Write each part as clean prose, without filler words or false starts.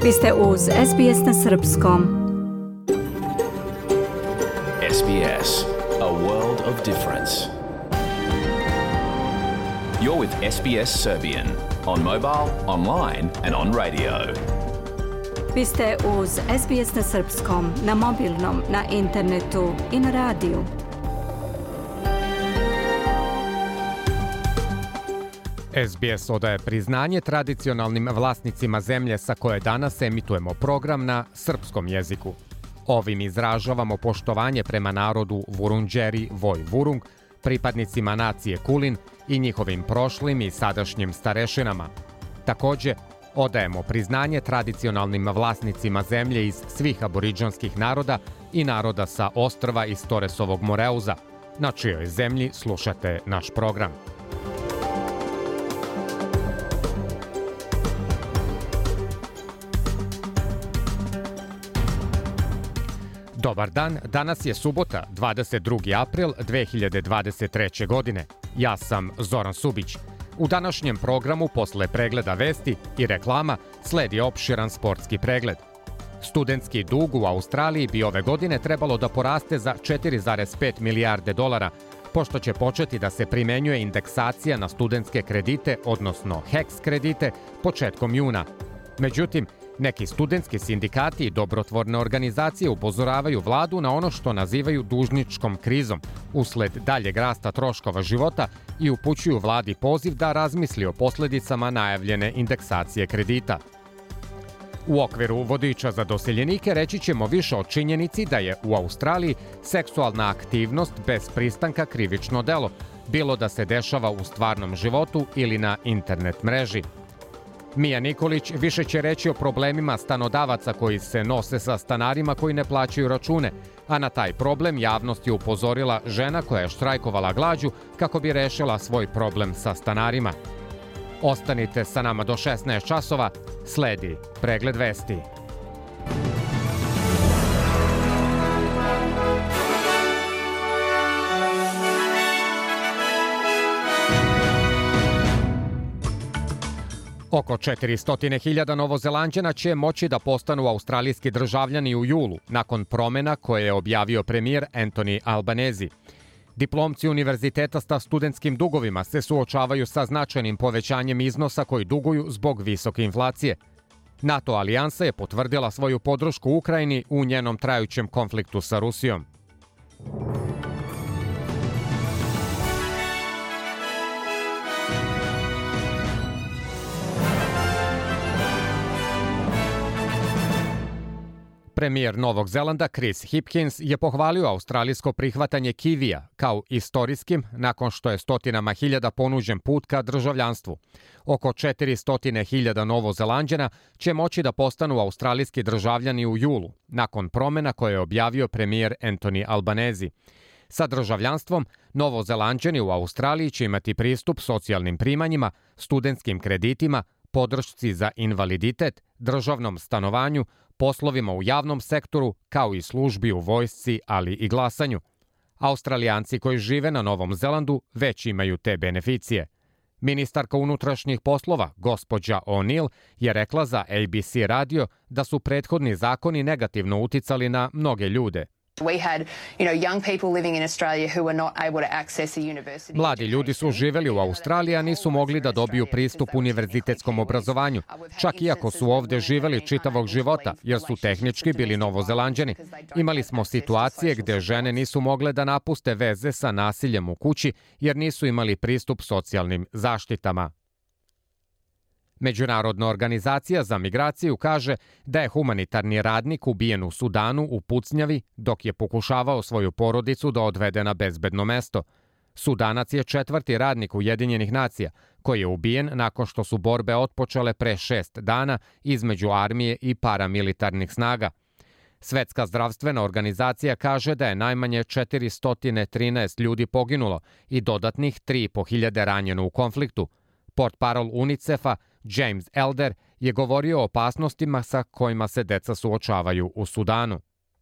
Vi ste uz SBS na srpskom. SBS, a world of difference. You're with SBS Serbian on mobile, online and on radio. Vi ste uz SBS na srpskom, na mobilnom, na internetu i na radiju. SBS odaje priznanje tradicionalnim vlasnicima zemlje sa koje danas emitujemo program na srpskom jeziku. Ovim izražavamo poštovanje prema narodu Vurundjeri Voj Vurung, pripadnicima nacije Kulin i njihovim prošlim i sadašnjim starešinama. Takođe, odajemo priznanje tradicionalnim vlasnicima zemlje iz svih aboridžanskih naroda i naroda sa ostrva iz Toresovog Moreuza, na čijoj zemlji slušate naš program. Dobar dan, danas je subota, 22. april 2023. godine. Ja sam Zoran Subić. U današnjem programu, posle pregleda vesti i reklama, sledi opširan sportski pregled. Studentski dug u Australiji bi ove godine trebalo da poraste za 4,5 milijarde dolara, pošto će početi da se primenjuje indeksacija na studentske kredite, odnosno HECS kredite, početkom juna. Međutim, neki studentski sindikati i dobrotvorne organizacije upozoravaju vladu na ono što nazivaju dužničkom krizom usled daljeg rasta troškova života i upućuju vladi poziv da razmisli o posledicama najavljene indeksacije kredita. U okviru vodiča za doseljenike reći ćemo više o činjenici da je u Australiji seksualna aktivnost bez pristanka krivično delo, bilo da se dešava u stvarnom životu ili na internet mreži. Mija Nikolić više će reći o problemima stanodavaca koji se nose sa stanarima koji ne plaćaju račune, a na taj problem javnost je upozorila žena koja je štrajkovala glađu kako bi rešila svoj problem sa stanarima. Ostanite sa nama do 16 časova, sledi pregled vesti. Oko 400.000 Novozelanđana će moći da postanu australijski državljani u julu, nakon promena koje je objavio premijer Anthony Albanese. Diplomci univerziteta sa studentskim dugovima se suočavaju sa značajnim povećanjem iznosa koji duguju zbog visoke inflacije. NATO alijansa je potvrdila svoju podršku Ukrajini u njenom trajućem konfliktu sa Rusijom. Premijer Novog Zelanda Chris Hipkins je pohvalio australijsko prihvatanje kivija kao istorijskim nakon što je stotinama hiljada ponuđen put ka državljanstvu. Oko 400.000 Novozelanđana će moći da postanu australijski državljani u julu, nakon promena koje je objavio premijer Anthony Albanese. Sa državljanstvom, Novozelanđani u Australiji će imati pristup socijalnim primanjima, studentskim kreditima, podršci za invaliditet, državnom stanovanju, poslovima u javnom sektoru, kao i službi u vojsci, ali i glasanju. Australijanci koji žive na Novom Zelandu već imaju te beneficije. Ministarka unutrašnjih poslova, gospođa O'Neill, je rekla za ABC radio da su prethodni zakoni negativno uticali na mnoge ljude. Mladi ljudi su živeli u Australiji, a nisu mogli da dobiju pristup univerzitetskom obrazovanju, čak i ako su ovde živeli čitavog života, jer su tehnički bili Novozelanđani. Imali smo situacije gde žene nisu mogle da napuste veze sa nasiljem u kući, jer nisu imali pristup socijalnim zaštitama. Međunarodna organizacija za migraciju kaže da je humanitarni radnik ubijen u Sudanu u pucnjavi dok je pokušavao svoju porodicu da odvede na bezbedno mesto. Sudanac je 4. radnik Ujedinjenih nacija koji je ubijen nakon što su borbe otpočele pre 6 dana između armije i paramilitarnih snaga. Svetska zdravstvena organizacija kaže da je najmanje 413 ljudi poginulo i dodatnih 3.500 ranjeno u konfliktu. Portparol UNICEF-a James Elder je govorio o opasnostima sa kojima se deca suočavaju u Sudanu.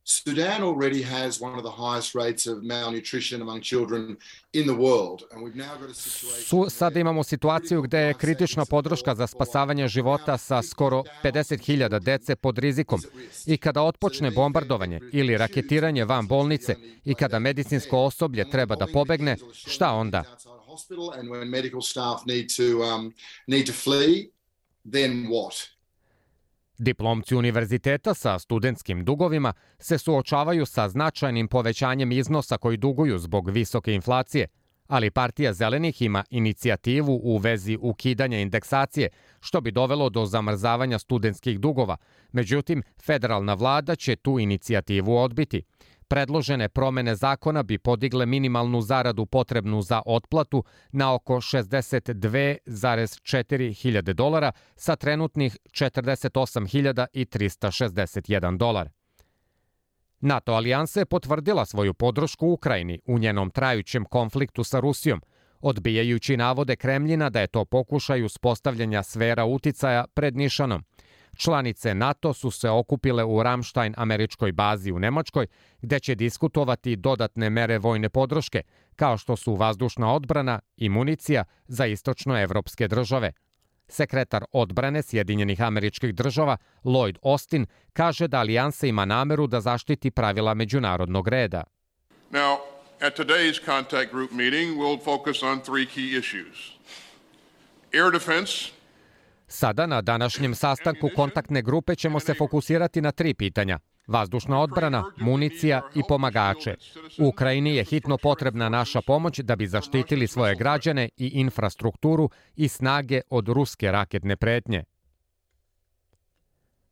Sudan already has one of the highest rates of malnutrition among children in the world, and we've now got a situation. Sada imamo situaciju gde je kritična podrška za spasavanje života sa skoro 50.000 dece pod rizikom. I kada otpočne bombardovanje ili raketiranje van bolnice i kada medicinsko osoblje treba da pobegne, šta onda? And when medical staff need to flee, then what? Diplomci univerziteta sa studentskim dugovima se suočavaju sa značajnim povećanjem iznosa koji duguju zbog visoke inflacije, ali Partija zelenih ima inicijativu u vezi ukidanja indeksacije, što bi dovelo do zamrzavanja studentskih dugova. Međutim, federalna vlada će tu inicijativu odbiti. Predložene promene zakona bi podigle minimalnu zaradu potrebnu za otplatu na oko 62,4 hiljade dolara sa trenutnih 48.361 dolar. NATO alijansa je potvrdila svoju podršku Ukrajini u njenom trajućem konfliktu sa Rusijom, odbijajući navode Kremljina da je to pokušaj uspostavljanja sfera uticaja pred nišanom. Članice NATO su se okupile u Ramstein američkoj bazi u Nemačkoj, gde će diskutovati dodatne mere vojne podrške, kao što su vazdušna odbrana i municija za istočnoevropske države. Sekretar odbrane Sjedinjenih Američkih Država Lloyd Austin kaže da alijansa ima nameru da zaštiti pravila međunarodnog reda. Now, at today's contact group meeting, we'll focus on three key issues. Air defense. Sada na današnjem sastanku kontaktne grupe ćemo se fokusirati na 3 pitanja. Vazdušna odbrana, municija i pomagače. U Ukrajini je hitno potrebna naša pomoć da bi zaštitili svoje građane i infrastrukturu i snage od ruske raketne pretnje.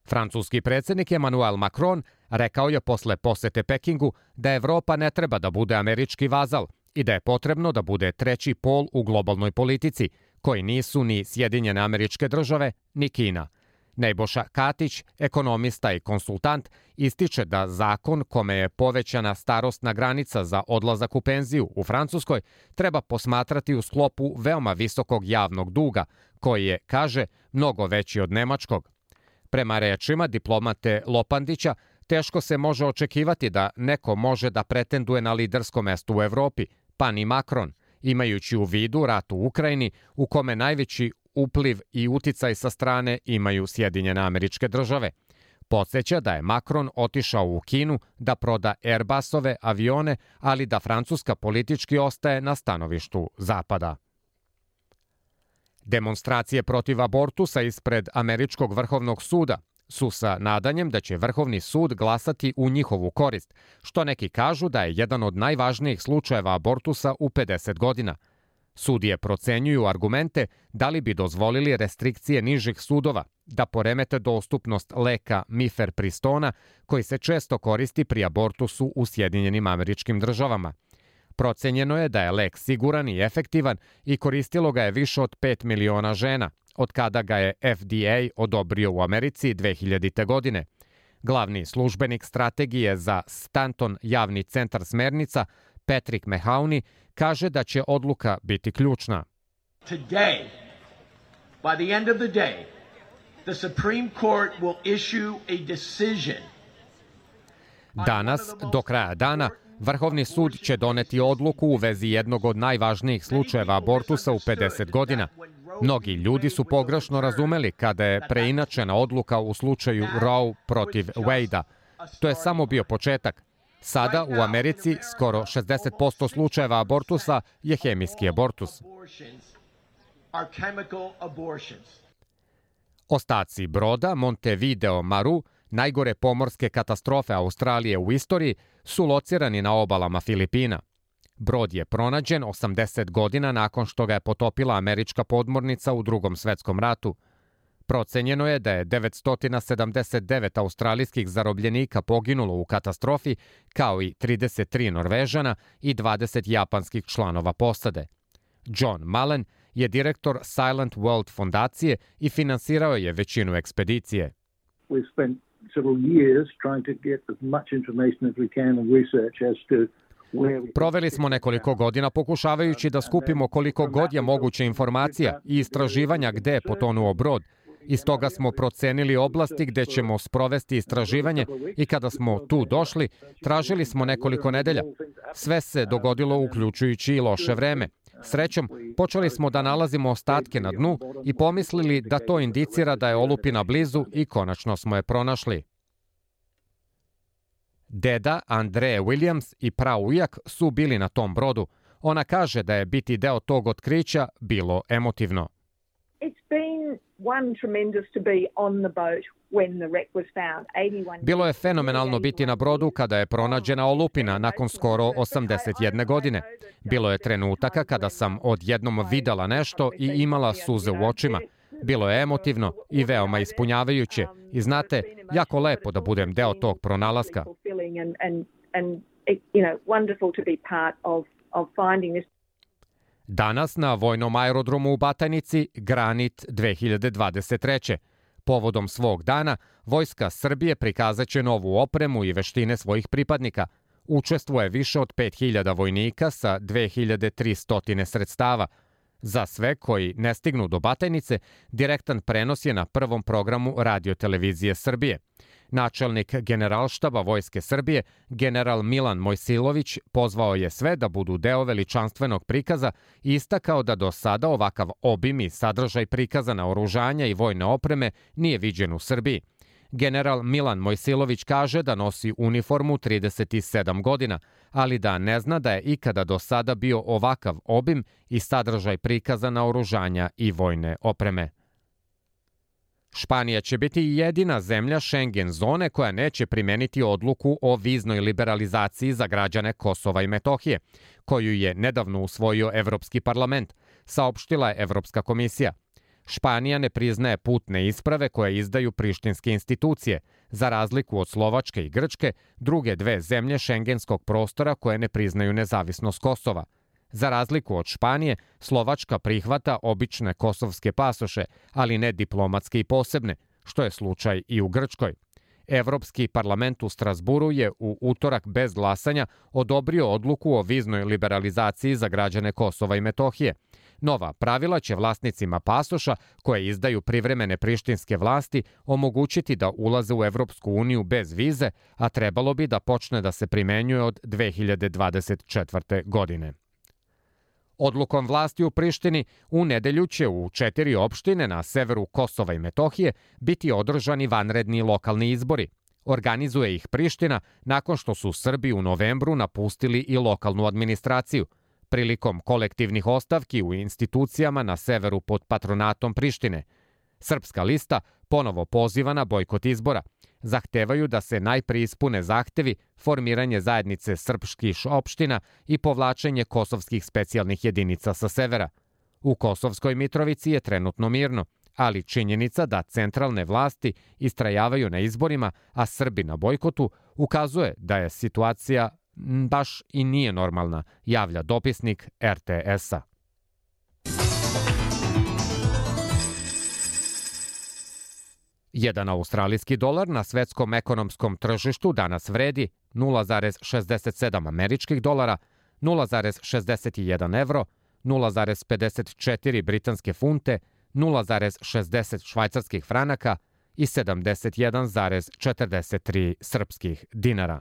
Francuski predsjednik Emmanuel Macron rekao je posle posete Pekingu da Evropa ne treba da bude američki vazal i da je potrebno da bude treći pol u globalnoj politici, koji nisu ni Sjedinjene Američke Države, ni Kina. Nebojša Katić, ekonomista i konsultant, ističe da zakon kome je povećana starosna granica za odlazak u penziju u Francuskoj treba posmatrati u sklopu veoma visokog javnog duga, koji je, kaže, mnogo veći od nemačkog. Prema rečima diplomate Lopandića, teško se može očekivati da neko može da pretenduje na lidersko mesto u Evropi, pa ni Macron, imajući u vidu rat u Ukrajini u kome najveći upliv i uticaj sa strane imaju Sjedinjene Američke Države. Podsjeća da je Macron otišao u Kinu da proda Airbusove avione, ali da Francuska politički ostaje na stanovištu Zapada. Demonstracije protiv abortusa ispred Američkog vrhovnog suda su sa nadanjem da će Vrhovni sud glasati u njihovu korist, što neki kažu da je jedan od najvažnijih slučajeva abortusa u 50 godina. Sudije procenjuju argumente da li bi dozvolili restrikcije nižih sudova, da poremete dostupnost leka Mifepristona, koji se često koristi pri abortusu u Sjedinjenim Američkim Državama. Procenjeno je da je lek siguran i efektivan i koristilo ga je više od 5 miliona žena, od kada ga je FDA odobrio u Americi 2000. godine. Glavni službenik strategije za Stanton javni centar smernica, Patrick Mahoney, kaže da će odluka biti ključna. Today, by the end of the day, the Supreme Court will issue a decision. Danas, do kraja dana, Vrhovni sud će doneti odluku u vezi jednog od najvažnijih slučajeva abortusa u 50 godina. Mnogi ljudi su pogrešno razumeli kada je preinačena odluka u slučaju Roe protiv Wade-a. To je samo bio početak. Sada u Americi skoro 60% slučajeva abortusa je hemijski abortus. Ostaci broda Montevideo Maru, najgore pomorske katastrofe Australije u istoriji, su locirani na obalama Filipina. Brod je pronađen 80 godina nakon što ga je potopila američka podmornica u Drugom svetskom ratu. Procenjeno je da je 979 australijskih zarobljenika poginulo u katastrofi, kao i 33 Norvežana i 20 japanskih članova posade. John Mullen je direktor Silent World fondacije i finansirao je većinu ekspedicije. We've spent several years trying to get as much information as we can and research as to. Proveli smo nekoliko godina pokušavajući da skupimo koliko god je moguće informacija i istraživanja gde je potonuo brod Iz toga smo procenili oblasti gde ćemo sprovesti istraživanje i kada smo tu došli, tražili smo nekoliko nedelja. Sve se dogodilo uključujući i loše vreme. Srećom, počeli smo da nalazimo ostatke na dnu i pomislili da to indicira da je olupina blizu i konačno smo je pronašli. Deda Andreje Williams i praujak su bili na tom brodu. Ona kaže da je biti deo tog otkrića bilo emotivno. Bilo je fenomenalno biti na brodu kada je pronađena olupina nakon skoro 81 godine. Bilo je trenutaka kada sam odjednom videla nešto i imala suze u očima. Bilo je emotivno i veoma ispunjavajuće. I znate, jako lepo da budem deo tog pronalaska. Danas na vojnom aerodromu u Batajnici Granit 2023. Povodom svog dana, Vojska Srbije prikazat će novu opremu i veštine svojih pripadnika. Učestvuje više od 5000 vojnika sa 2300 sredstava. Za sve koji ne stignu do Batajnice, direktan prenos je na prvom programu Radio-televizije Srbije. Načelnik Generalštaba Vojske Srbije, general Milan Mojsilović, pozvao je sve da budu deo veličanstvenog prikaza i istakao da do sada ovakav obim i sadržaj prikaza naoružanja i vojne opreme nije viđen u Srbiji. General Milan Mojsilović kaže da nosi uniformu 37 godina, ali da ne zna da je ikada do sada bio ovakav obim i sadržaj prikaza naoružanja i vojne opreme. Španija će biti jedina zemlja Schengen zone koja neće primeniti odluku o viznoj liberalizaciji za građane Kosova i Metohije, koju je nedavno usvojio Evropski parlament, saopštila je Evropska komisija. Španija ne priznaje putne isprave koje izdaju prištinske institucije, za razliku od Slovačke i Grčke, druge dve zemlje šengenskog prostora koje ne priznaju nezavisnost Kosova. Za razliku od Španije, Slovačka prihvata obične kosovske pasoše, ali ne diplomatske i posebne, što je slučaj i u Grčkoj. Evropski parlament u Strasburu je u utorak bez glasanja odobrio odluku o viznoj liberalizaciji za građane Kosova i Metohije. Nova pravila će vlasnicima pasoša koje izdaju privremene prištinske vlasti omogućiti da ulaze u Evropsku uniju bez vize, a trebalo bi da počne da se primenjuje od 2024. godine. Odlukom vlasti u Prištini u nedelju će u 4 opštine na severu Kosova i Metohije biti održani vanredni lokalni izbori. Organizuje ih Priština nakon što su Srbi u novembru napustili i lokalnu administraciju. Prilikom kolektivnih ostavki u institucijama na severu pod patronatom Prištine. Srpska lista ponovo poziva na bojkot izbora. Zahtevaju da se najpre ispune zahtevi, formiranje zajednice srpskih opština i povlačenje kosovskih specijalnih jedinica sa severa. U Kosovskoj Mitrovici je trenutno mirno, ali činjenica da centralne vlasti istrajavaju na izborima, a Srbi na bojkotu, ukazuje da je situacija baš i nije normalna, javlja dopisnik RTS-a. Jedan australijski dolar na svetskom ekonomskom tržištu danas vredi 0,67 američkih dolara, 0,61 evro, 0,54 britanske funte, 0,60 švajcarskih franaka i 71,43 srpskih dinara.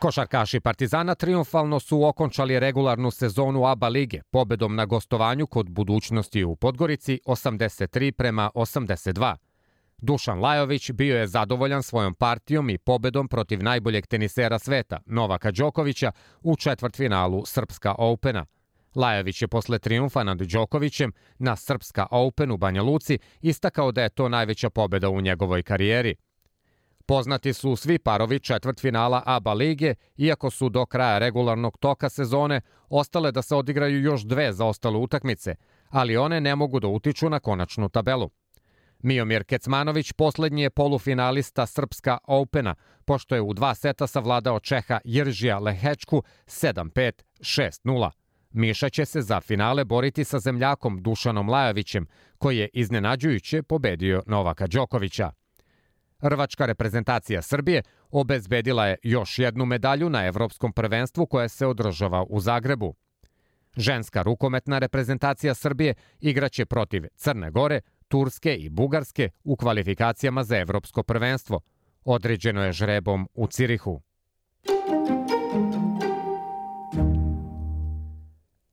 Košarkaši Partizana triumfalno su okončali regularnu sezonu ABA lige pobedom na gostovanju kod Budućnosti u Podgorici 83-82. Dušan Lajović bio je zadovoljan svojom partijom i pobedom protiv najboljeg tenisera sveta, Novaka Đokovića, u četvrtfinalu Srpska Opena. Lajović je posle triumfa nad Đokovićem na Srpska Open u Banja Luci istakao da je to najveća pobeda u njegovoj karijeri. Poznati su svi parovi četvrtfinala ABA lige, iako su do kraja regularnog toka sezone ostale da se odigraju još dve zaostale utakmice, ali one ne mogu da utiču na konačnu tabelu. Miomir Kecmanović poslednji je polufinalista Srpska Opena, pošto je u 2 seta savladao Čeha Jiržija Lehečku 7-5, 6-0. Miša će se za finale boriti sa zemljakom Dušanom Lajovićem, koji je iznenađujuće pobedio Novaka Đokovića. Rvačka reprezentacija Srbije obezbedila je još jednu medalju na Evropskom prvenstvu koje se održava u Zagrebu. Ženska rukometna reprezentacija Srbije igraće protiv Crne Gore, Turske i Bugarske u kvalifikacijama za Evropsko prvenstvo. Određeno je žrebom u Cirihu.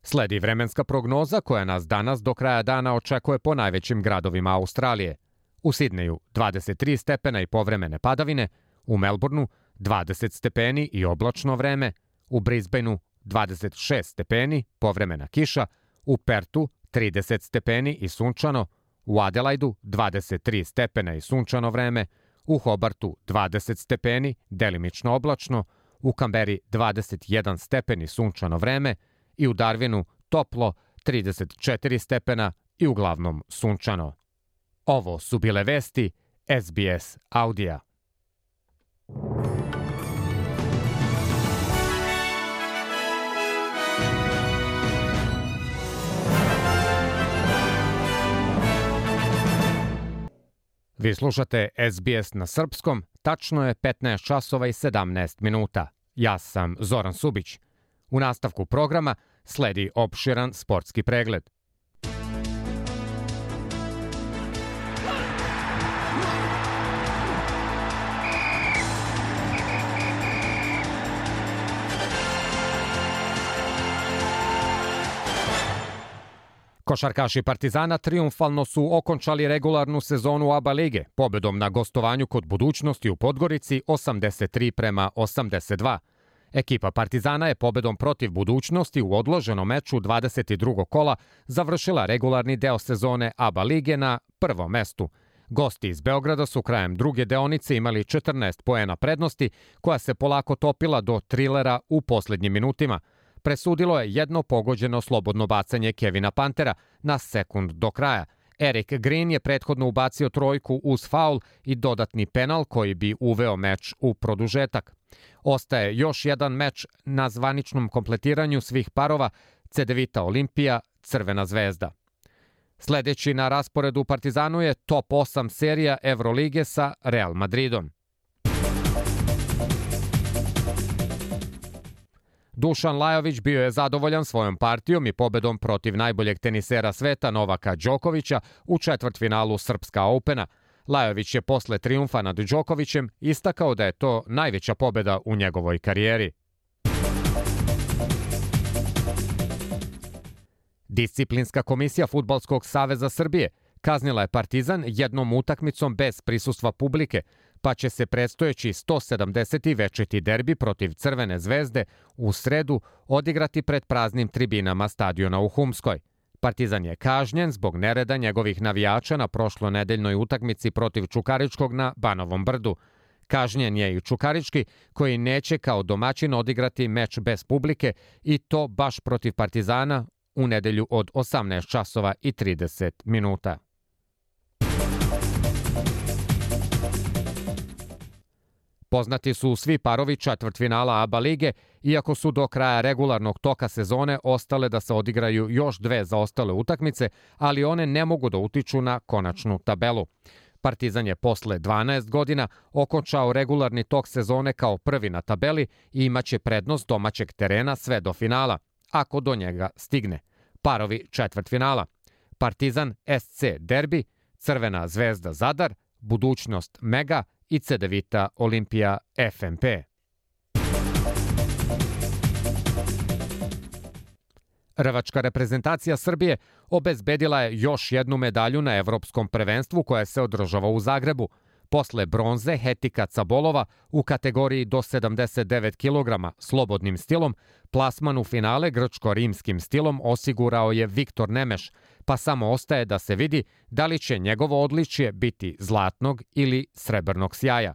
Sledi vremenska prognoza koja nas danas do kraja dana očekuje po najvećim gradovima Australije. U Sidneju 23 stepena i povremene padavine, u Melbourneu 20 stepeni i oblačno vreme, u Brisbaneu 26 stepeni, povremena kiša, u Pertu 30 stepeni i sunčano, u Adelaidu 23 stepena i sunčano vreme, u Hobartu 20 stepeni, delimično oblačno, u Kamberi 21 stepen i sunčano vreme i u Darwinu toplo 34 stepena i uglavnom sunčano. Ovo su bile vesti SBS Audija. Vi slušate SBS na srpskom, tačno je 15 časova i 17 minuta. Ja sam Zoran Subić. U nastavku programa sledi opširan sportski pregled. Košarkaši Partizana triumfalno su okončali regularnu sezonu ABA lige pobedom na gostovanju kod Budućnosti u Podgorici 83-82. Ekipa Partizana je pobedom protiv Budućnosti u odloženom meču 22. kola završila regularni deo sezone ABA lige na prvom mestu. Gosti iz Beograda su krajem druge deonice imali 14 poena prednosti, koja se polako topila do trilera u poslednjim minutima. Presudilo je jedno pogođeno slobodno bacanje Kevina Pantera na sekund do kraja. Eric Green je prethodno ubacio trojku uz faul i dodatni penal koji bi uveo meč u produžetak. Ostaje još jedan meč na zvaničnom kompletiranju svih parova Cedevita Olimpija, Crvena zvezda. Sledeći na rasporedu u Partizanu je top 8 serija Evrolige sa Real Madridom. Dušan Lajović bio je zadovoljan svojom partijom i pobedom protiv najboljeg tenisera sveta Novaka Đokovića u četvrtfinalu Srpska Opena. Lajović je posle trijumfa nad Đokovićem istakao da je to najveća pobeda u njegovoj karijeri. Disciplinska komisija Fudbalskog saveza Srbije kaznila je Partizan jednom utakmicom bez prisustva publike, pa će se predstojeći 170. večiti derbi protiv Crvene zvezde u sredu odigrati pred praznim tribinama stadiona u Humskoj. Partizan je kažnjen zbog nereda njegovih navijača na prošlonedeljnoj utakmici protiv Čukaričkog na Banovom brdu. Kažnjen je i Čukarički, koji neće kao domaćin odigrati meč bez publike i to baš protiv Partizana u nedelju od 18 časova i 30 minuta. Poznati su svi parovi četvrtfinala ABA lige, iako su do kraja regularnog toka sezone ostale da se odigraju još dve zaostale utakmice, ali one ne mogu da utiču na konačnu tabelu. Partizan je posle 12 godina okončao regularni tok sezone kao prvi na tabeli i imaće prednost domaćeg terena sve do finala, ako do njega stigne. Parovi četvrtfinala: Partizan SC Derbi, Crvena zvezda Zadar, Budućnost Mega i Cedevita Olimpija FMP. Rvačka reprezentacija Srbije obezbedila je još jednu medalju na Evropskom prvenstvu koja se održava u Zagrebu. Posle bronze Hetika Cabolova u kategoriji do 79 kg slobodnim stilom, plasman u finale grčko-rimskim stilom osigurao je Viktor Nemeš, pa samo ostaje da se vidi da li će njegovo odličje biti zlatnog ili srebrnog sjaja.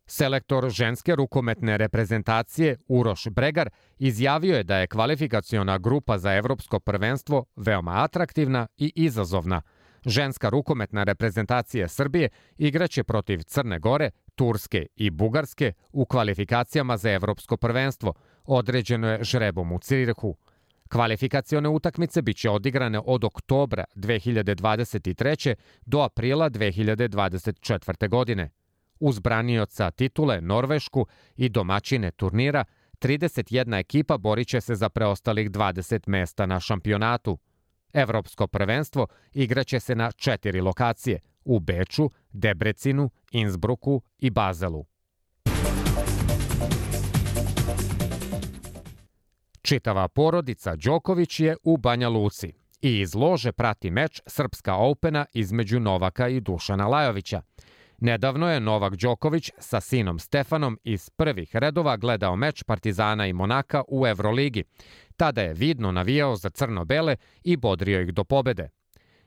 Selektor ženske rukometne reprezentacije Uroš Bregar izjavio je da je kvalifikaciona grupa za Evropsko prvenstvo veoma atraktivna i izazovna. Ženska rukometna reprezentacija Srbije igraće protiv Crne Gore, Turske i Bugarske u kvalifikacijama za evropsko prvenstvo, određeno je žrebom u Cirihu. Kvalifikacione utakmice biće odigrane od oktobra 2023. do aprila 2024. godine. Uz branioca titule Norvešku i domaćine turnira, 31 ekipa borit će se za preostalih 20 mesta na šampionatu. Evropsko prvenstvo igraće se na 4 lokacije – u Beču, Debrecinu, Innsbrucku i Bazelu. Čitava porodica Đoković je u Banja Luci i iz lože prati meč Srpska Opena između Novaka i Dušana Lajovića. Nedavno je Novak Đoković sa sinom Stefanom iz prvih redova gledao meč Partizana i Monaka u Evroligi. Tada je vidno navijao za crno-bele i bodrio ih do pobede.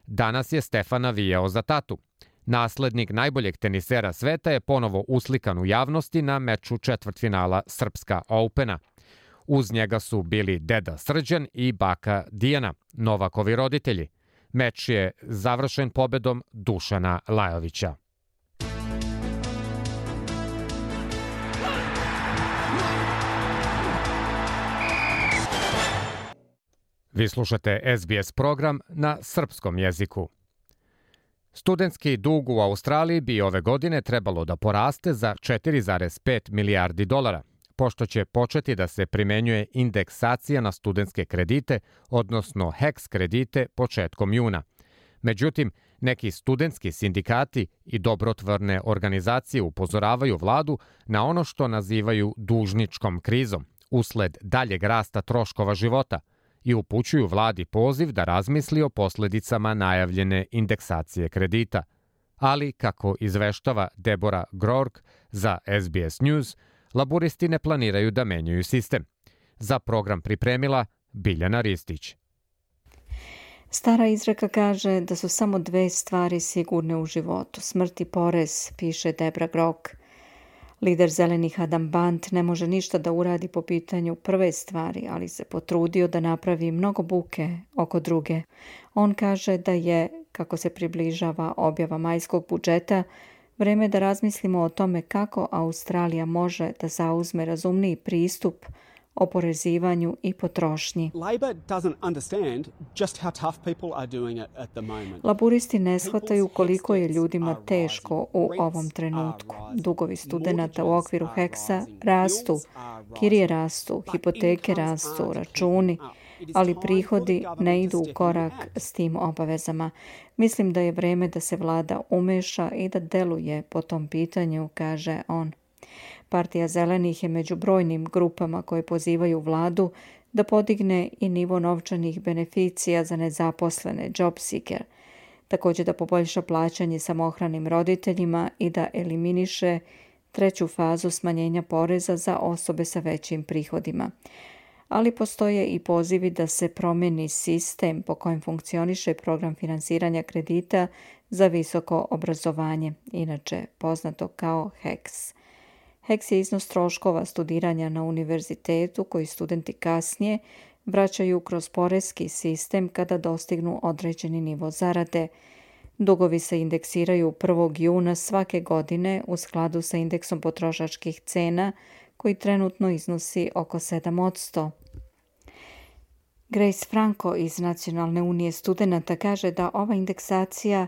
Danas je Stefan navijao za tatu. Naslednik najboljeg tenisera sveta je ponovo uslikan u javnosti na meču četvrtfinala Srpska Opena. Uz njega su bili deda Srđan i baka Dijana, Novakovi roditelji. Meč je završen pobedom Dušana Lajovića. Vi slušate SBS program na srpskom jeziku. Studentski dug u Australiji bi ove godine trebalo da poraste za 4,5 milijardi dolara, pošto će početi da se primenjuje indeksacija na studentske kredite, odnosno HECS kredite početkom juna. Međutim, neki studentski sindikati i dobrotvorne organizacije upozoravaju vladu na ono što nazivaju dužničkom krizom, usled daljeg rasta troškova života, i upućuju vladi poziv da razmisli o posledicama najavljene indeksacije kredita. Ali, kako izveštava Deborah Groark za SBS News, laburisti ne planiraju da menjaju sistem. Za program pripremila Biljana Ristić. Stara izreka kaže da su samo 2 stvari sigurne u životu, smrt i porez, piše Deborah Groark. Lider zelenih Adam Bant ne može ništa da uradi po pitanju prve stvari, ali se potrudio da napravi mnogo buke oko druge. On kaže da je, kako se približava objava majskog budžeta, vreme da razmislimo o tome kako Australija može da zauzme razumniji pristup oporezivanju i potrošnji. Laburisti ne shvataju koliko je ljudima teško u ovom trenutku. Dugovi studenata u okviru HECS-a rastu, kirije rastu, hipoteke rastu, računi, ali prihodi ne idu u korak s tim obavezama. Mislim da je vreme da se vlada umeša i da deluje po tom pitanju, kaže on. Partija zelenih je među brojnim grupama koje pozivaju vladu da podigne i nivo novčanih beneficija za nezaposlene, job seeker, također da poboljša plaćanje samohranim roditeljima i da eliminiše 3. fazu smanjenja poreza za osobe sa većim prihodima. Ali postoje i pozivi da se promeni sistem po kojem funkcioniše program finansiranja kredita za visoko obrazovanje, inače poznato kao HECS. HECS je iznos troškova studiranja na univerzitetu koji studenti kasnije vraćaju kroz poreski sistem kada dostignu određeni nivo zarade. Dugovi se indeksiraju 1. juna svake godine u skladu sa indeksom potrošačkih cena koji trenutno iznosi oko 7%. Grace Franco iz Nacionalne unije studenata kaže da ova indeksacija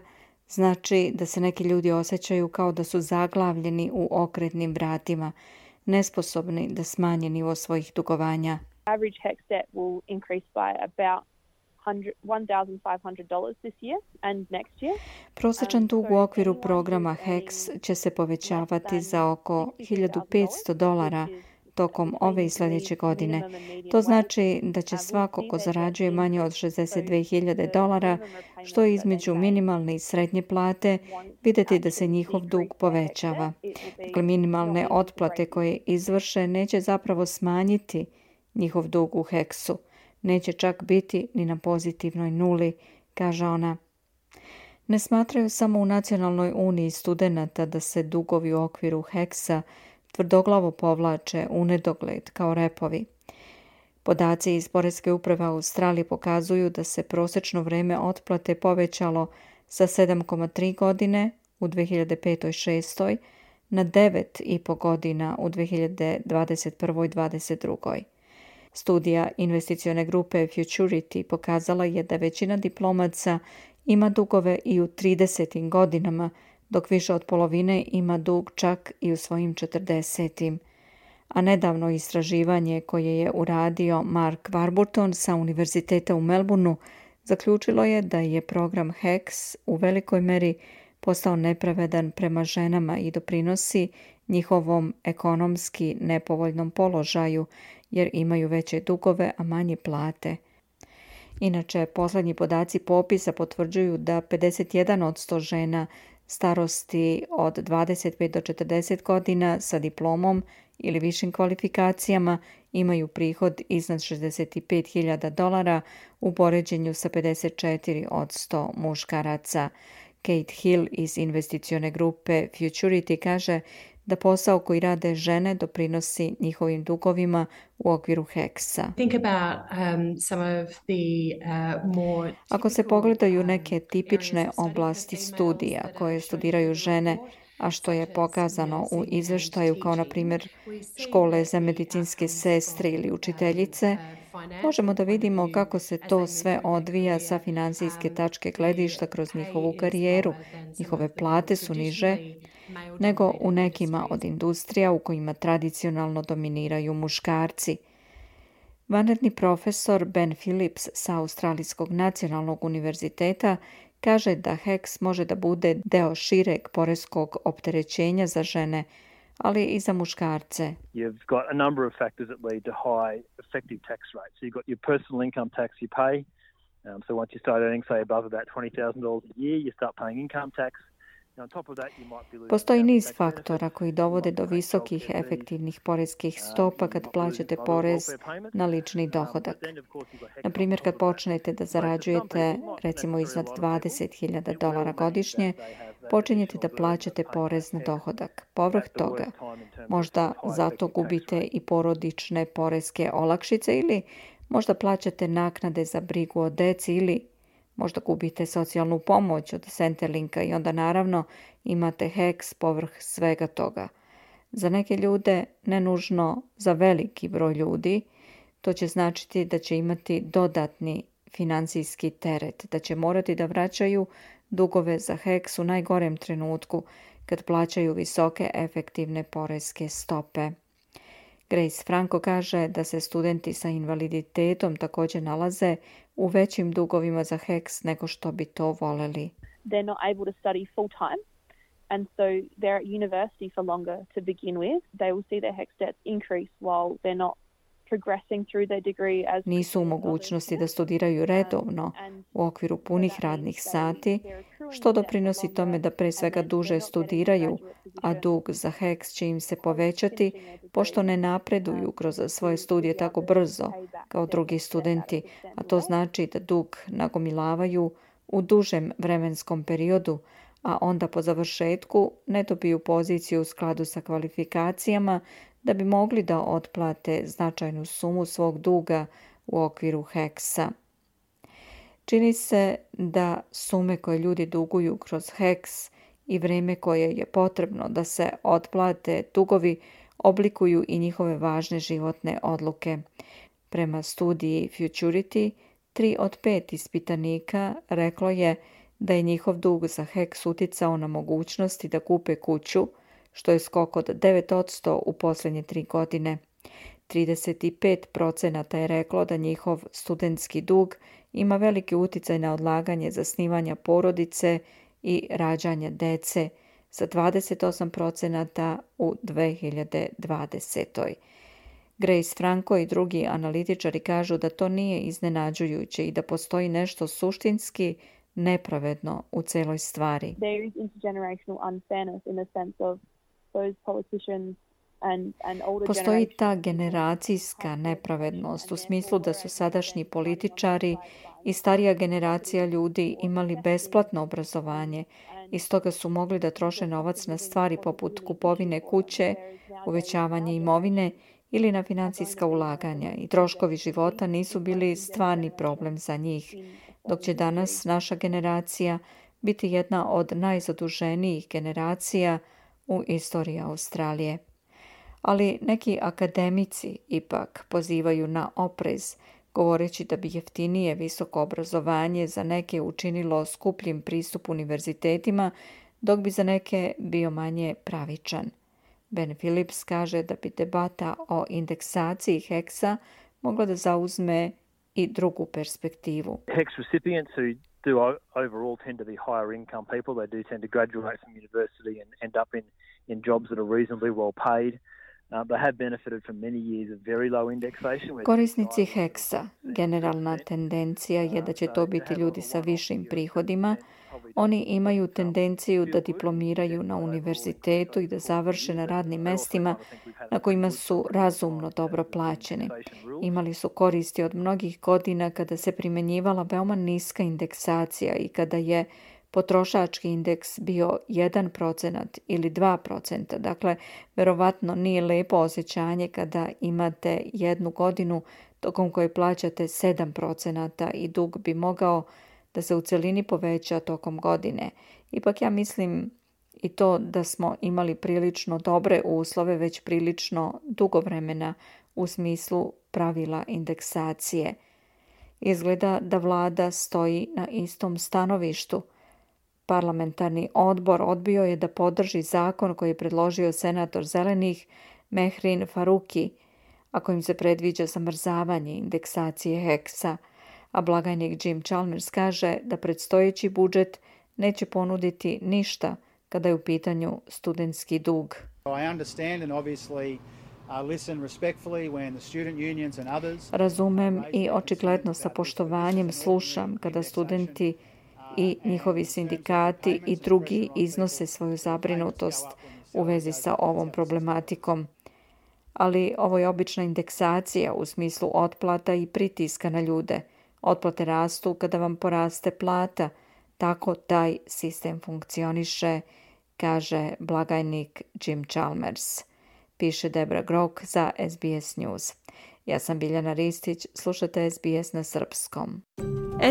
znači da se neki ljudi osjećaju kao da su zaglavljeni u okretnim vratima, nesposobni da smanje nivo svojih dugovanja. Average HECS debt will increase by about $1,500 this year and next year. Prosječan dug u okviru programa HECS će se povećavati za oko $1,500 tokom ove i sljedeće godine. To znači da će svako ko zarađuje manje od $62,000, što je između minimalne i srednje plate, vidjeti da se njihov dug povećava. Dakle, minimalne otplate koje izvrše neće zapravo smanjiti njihov dug u HECS-u. Neće čak biti ni na pozitivnoj nuli, kaže ona. Ne smatraju samo u Nacionalnoj uniji studenata da se dugovi u okviru HECS-a tvrdoglavo povlače u nedogled kao repovi. Podaci iz Poreske uprave Australije pokazuju da se prosječno vreme otplate povećalo sa 7,3 godine u 2005-2006 na 9,5 godina u 2021. i 2022. Studija investicione grupe Futurity pokazala je da većina diplomaca ima dugove i u 30. godinama, dok više od polovine ima dug čak i u svojim 40. A nedavno istraživanje koje je uradio Mark Warburton sa Univerziteta u Melbourneu zaključilo je da je program HECS u velikoj meri postao nepravedan prema ženama i doprinosi njihovom ekonomski nepovoljnom položaju jer imaju veće dugove, a manje plate. Inače, posljednji podaci popisa potvrđuju da 51% žena starosti od 25 do 40 godina sa diplomom ili višim kvalifikacijama imaju prihod iznad $65.000 u poređenju sa 54% muškaraca. Kate Hill iz investicione grupe Futurity kaže da posao koji rade žene doprinosi njihovim dugovima u okviru HECS-a. Ako se pogledaju neke tipične oblasti studija koje studiraju žene, a što je pokazano u izveštaju kao na primjer škole za medicinske sestre ili učiteljice, možemo da vidimo kako se to sve odvija sa finansijske tačke gledišta kroz njihovu karijeru. Njihove plate su niže nego u nekima od industrija u kojima tradicionalno dominiraju muškarci. Vanredni profesor Ben Phillips sa Australijskog nacionalnog univerziteta kaže da HECS može da bude deo šireg poreskog opterećenja za žene, ali i za muškarce. You've got a number of factors that lead to high effective tax rates. So you've got your personal income tax you pay. So once you start earning, say, above about $20,000 a year, you start paying income tax. Postoji niz faktora koji dovode do visokih efektivnih poreskih stopa kad plaćate porez na lični dohodak. Na primjer, kad počnete da zarađujete recimo iznad $20.000 godišnje, počinjete da plaćate porez na dohodak. Povrh toga, možda zato gubite i porodične poreske olakšice ili možda plaćate naknade za brigu o deci ili možda gubite socijalnu pomoć od Centrelink-a i onda naravno imate HECS povrh svega toga. Za neke ljude, ne nužno za veliki broj ljudi, to će značiti da će imati dodatni financijski teret, da će morati da vraćaju dugove za HECS u najgorem trenutku kad plaćaju visoke efektivne poreske stope. Grace Franco kaže da se studenti sa invaliditetom također nalaze u većim dugovima za HECS nego što bi to voljeli. They're not able to study full time, and so they're at university for longer to begin with. They will see their HECS debts increase while they're not progressing through their degree as nisu u mogućnosti da studiraju redovno u okviru punih radnih sati, što doprinosi tome da pre svega duže studiraju, a dug za HECS će im se povećati pošto ne napreduju kroz svoje studije tako brzo kao drugi studenti, a to znači da dug nagomilavaju u dužem vremenskom periodu, a onda po završetku ne dobiju poziciju u skladu sa kvalifikacijama da bi mogli da otplate značajnu sumu svog duga u okviru HECS-a. Čini se da sume koje ljudi duguju kroz HECS i vrijeme koje je potrebno da se otplate dugovi oblikuju i njihove važne životne odluke. Prema studiji Futurity, 3 od 5 ispitanika reklo je da je njihov dug za HECS uticao na mogućnosti da kupe kuću, što je skok od 9% u posljednje 3 godine. 35% je reklo da njihov studentski dug ima veliki uticaj na odlaganje zasnivanja porodice i rađanja dece, sa 28% u 2020. Grace Franco i drugi analitičari kažu da to nije iznenađujuće i da postoji nešto suštinski nepravedno u celoj stvari. There is intergenerational unfairness in the sense of those politicians Postoji ta generacijska nepravednost u smislu da su sadašnji političari i starija generacija ljudi imali besplatno obrazovanje i stoga su mogli da troše novac na stvari poput kupovine kuće, uvećavanje imovine ili na financijska ulaganja i troškovi života nisu bili stvarni problem za njih, dok će danas naša generacija biti jedna od najzaduženijih generacija u istoriji Australije. Ali neki akademici ipak pozivaju na oprez, govoreći da bi jeftinije visoko obrazovanje za neke učinilo skupljim pristup univerzitetima, dok bi za neke bio manje pravičan. Ben Phillips kaže da bi debata o indeksaciji HECS-a mogla da zauzme i drugu perspektivu. HECS recipients who do overall tend to be higher income people. They do tend to graduate from university and end up in jobs that are reasonably well paid. They have benefited from many years of very low indexation. Korisnici HECS-a, generalna tendencija je da će to biti ljudi sa višim prihodima. Oni imaju tendenciju da diplomiraju na univerzitetu i da završe na radnim mestima na kojima su razumno dobro plaćeni. Imali su koristi od mnogih godina kada se primjenjivala veoma niska indeksacija i kada je potrošački indeks bio 1% ili 2%. Dakle, verovatno nije lepo osjećanje kada imate jednu godinu tokom koje plaćate 7% i dug bi mogao da se u celini poveća tokom godine. Ipak ja mislim i to da smo imali prilično dobre uslove već prilično dugo vremena u smislu pravila indeksacije. Izgleda da vlada stoji na istom stanovištu. Parlamentarni odbor odbio je da podrži zakon koji je predložio senator Zelenih Mehrin Faruki, a kojim se predviđa zamrzavanje indeksacije HECS-a, a blagajnik Jim Chalmers kaže da predstojeći budžet neće ponuditi ništa kada je u pitanju studentski dug. Razumem i očigledno sa poštovanjem slušam kada studenti i njihovi sindikati i drugi iznose svoju zabrinutost u vezi sa ovom problematikom. Ali ovo je obična indeksacija u smislu otplata i pritiska na ljude. Otplate rastu kada vam poraste plata. Tako taj sistem funkcioniše, kaže blagajnik Jim Chalmers. Piše Debra Grok za SBS News. Ja sam Biljana Ristić, slušate SBS na srpskom.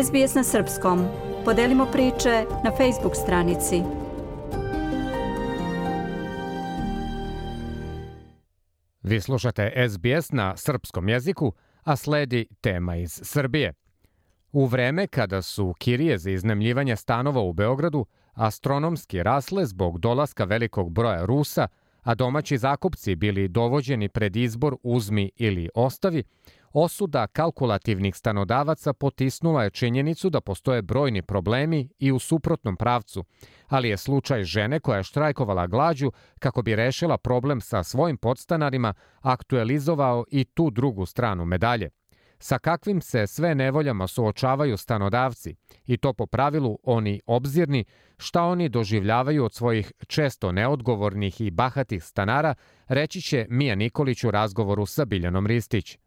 SBS na srpskom. Podelimo priče na Facebook stranici. Vi slušate SBS na srpskom jeziku, a sledi tema iz Srbije. U vreme kada su kirije za iznajmljivanje stanova u Beogradu astronomski rasle zbog dolaska velikog broja Rusa, a domaći zakupci bili dovođeni pred izbor uzmi ili ostavi, osuda kalkulativnih stanodavaca potisnula je činjenicu da postoje brojni problemi i u suprotnom pravcu, ali je slučaj žene koja je štrajkovala glađu kako bi rešila problem sa svojim podstanarima aktualizovao i tu drugu stranu medalje. Sa kakvim se sve nevoljama suočavaju stanodavci, i to po pravilu oni obzirni, šta oni doživljavaju od svojih često neodgovornih i bahatih stanara, reći će Mija Nikolić u razgovoru sa Biljanom Ristić.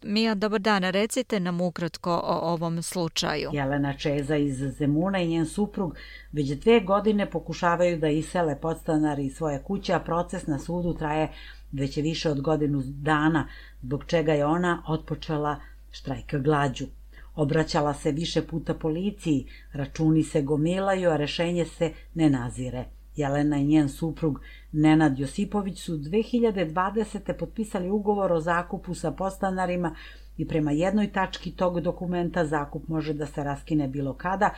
Mija, dobar dan, recite nam ukratko o ovom slučaju. Jelena Čeza iz Zemuna i njen suprug već 2 godine pokušavaju da isele podstanari iz svoje kuće, a proces na sudu traje već je više od godinu dana, zbog čega je ona otpočela štrajk glađu. Obraćala se više puta policiji, računi se gomilaju, a rešenje se ne nazire. Jelena i njen suprug Nenad Josipović su 2020. potpisali ugovor o zakupu sa podstanarima i prema jednoj tački tog dokumenta zakup može da se raskine bilo kada,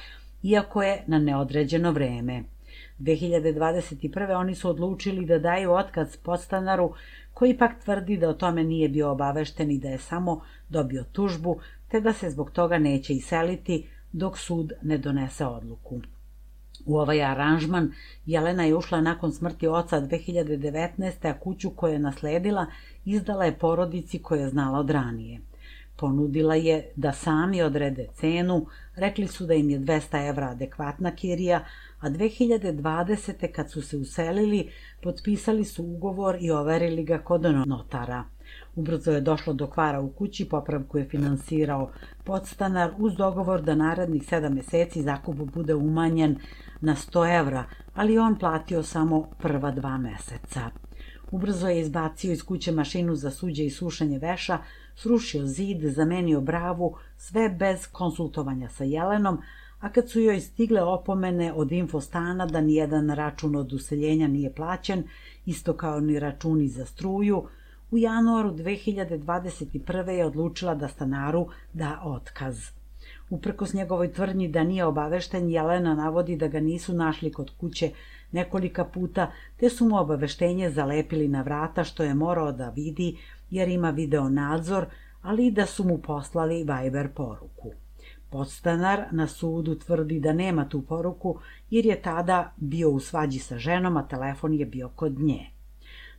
iako je na neodređeno vreme. 2021. oni su odlučili da daju otkaz podstanaru, koji pak tvrdi da o tome nije bio obavešten i da je samo dobio tužbu, te da se zbog toga neće iseliti dok sud ne donese odluku. U ovaj aranžman Jelena je ušla nakon smrti oca 2019. a kuću koju je nasledila izdala je porodici koju je znala od ranije. Ponudila je da sami odrede cenu, rekli su da im je 200 evra adekvatna kirija, a 2020. kad su se uselili, potpisali su ugovor i overili ga kod notara. Ubrzo je došlo do kvara u kući, popravku je finansirao podstanar uz dogovor da narednih 7 meseci zakup bude umanjen na 100 evra, ali on platio samo prva 2 meseca. Ubrzo je izbacio iz kuće mašinu za suđe i sušenje veša, srušio zid, zamenio bravu, sve bez konsultovanja sa Jelenom, a kad su joj stigle opomene od Infostana da nijedan račun od useljenja nije plaćen, isto kao ni računi za struju, u januaru 2021. je odlučila da stanaru da otkaz. Uprkos njegovoj tvrdnji da nije obavešten, Jelena navodi da ga nisu našli kod kuće nekolika puta, te su mu obaveštenje zalepili na vrata što je morao da vidi jer ima video nadzor, ali i da su mu poslali Viber poruku. Podstanar na sudu tvrdi da nema tu poruku jer je tada bio u svađi sa ženom, a telefon je bio kod nje.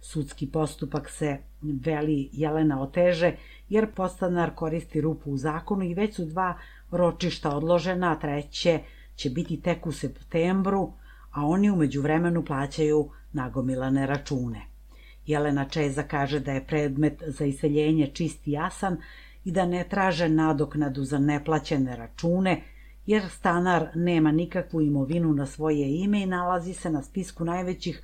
Sudski postupak se, veli Jelena, oteže jer podstanar koristi rupu u zakonu i već su 2 ročišta odložena, a 3. će biti tek u septembru, a oni u međuvremenu plaćaju nagomilane račune. Jelena Čeza kaže da je predmet za iseljenje čist i jasan i da ne traže nadoknadu za neplaćene račune, jer stanar nema nikakvu imovinu na svoje ime i nalazi se na spisku najvećih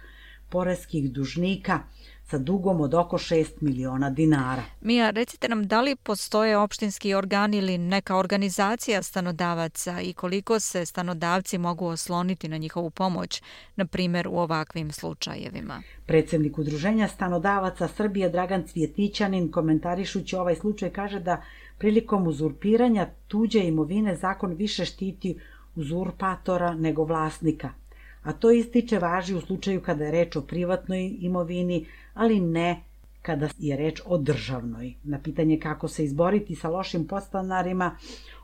poreskih dužnika sa dugom od oko 6 miliona dinara. Mija, recite nam da li postoje opštinski organi ili neka organizacija stanodavaca i koliko se stanodavci mogu osloniti na njihovu pomoć, na primjer u ovakvim slučajevima? Predsjednik Udruženja stanodavaca Srbije Dragan Cvjetićanin, komentarišući ovaj slučaj, kaže da prilikom uzurpiranja tuđe imovine zakon više štiti uzurpatora nego vlasnika. A to ističe važi u slučaju kada je reč o privatnoj imovini, ali ne kada je reč o državnoj. Na pitanje kako se izboriti sa lošim podstanarima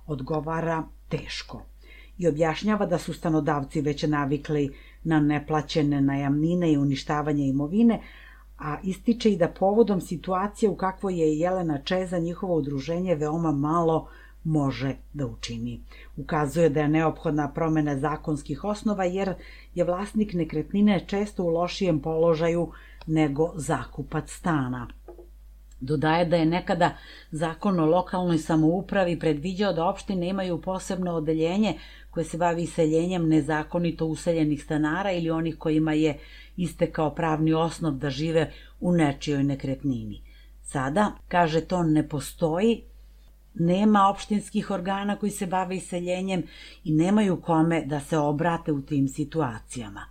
odgovara teško. I objašnjava da su stanodavci već navikli na neplaćene najamnine i uništavanje imovine, a ističe i da povodom situacije u kakvoj je Jelena Čeza njihovo udruženje veoma malo može da učini. Ukazuje da je neophodna promena zakonskih osnova jer je vlasnik nekretnine često u lošijem položaju nego zakupac stana. Dodaje da je nekada zakon o lokalnoj samoupravi predviđao da opštine imaju posebno odeljenje koje se bavi iseljenjem nezakonito useljenih stanara ili onih kojima je istekao pravni osnov da žive u nečijoj nekretnini. Sada, kaže, to ne postoji, nema opštinskih organa koji se bave iseljenjem i nemaju kome da se obrate u tim situacijama.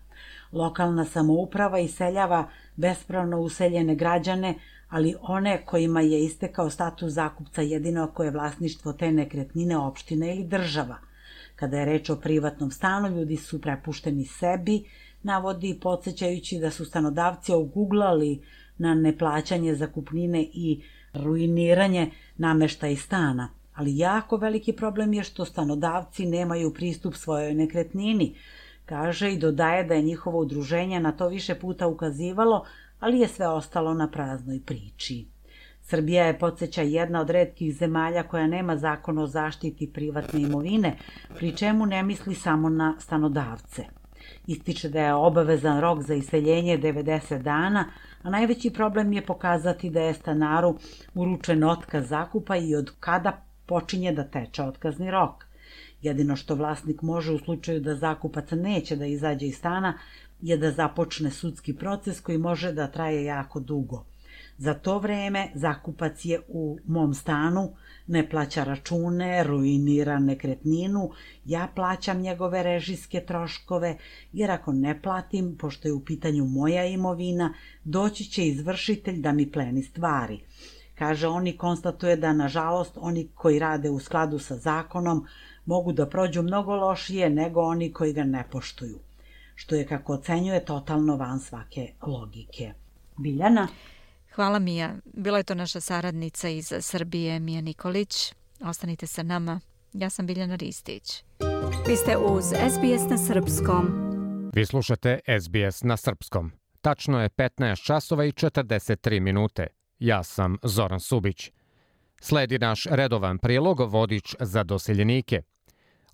Lokalna samouprava iseljava bespravno useljene građane, ali one kojima je istekao status zakupca jedino ako je vlasništvo te nekretnine opština ili država. Kada je reč o privatnom stanu, ljudi su prepušteni sebi, navodi, podsjećajući da su stanodavci oguglali na neplaćanje zakupnine i ruiniranje nameštaja stana. Ali jako veliki problem je što stanodavci nemaju pristup svojoj nekretnini. Kaže i dodaje da je njihovo udruženje na to više puta ukazivalo, ali je sve ostalo na praznoj priči. Srbija je, podsjeća, jedna od retkih zemalja koja nema zakon o zaštiti privatne imovine, pri čemu ne misli samo na stanodavce. Ističe da je obavezan rok za iseljenje 90 dana, a najveći problem je pokazati da je stanaru uručen otkaz zakupa i od kada počinje da teče otkazni rok. Jedino što vlasnik može u slučaju da zakupac neće da izađe iz stana je da započne sudski proces koji može da traje jako dugo. Za to vreme zakupac je u mom stanu, ne plaća račune, ruinira nekretninu, ja plaćam njegove režijske troškove, jer ako ne platim, pošto je u pitanju moja imovina, doći će izvršitelj da mi pleni stvari. Kaže, oni konstatuje da, nažalost, oni koji rade u skladu sa zakonom mogu da prođu mnogo lošije nego oni koji ga ne poštuju, što je, kako ocenjuje, totalno van svake logike. Biljana? Hvala, Mija. Bila je to naša saradnica iz Srbije, Mija Nikolić. Ostanite sa nama. Ja sam Biljana Ristić. Vi ste uz SBS na srpskom. Vi slušate SBS na srpskom. Tačno je 15 časova i 43 minute. Ja sam Zoran Subić. Sledi naš redovan prilog vodič za doseljenike.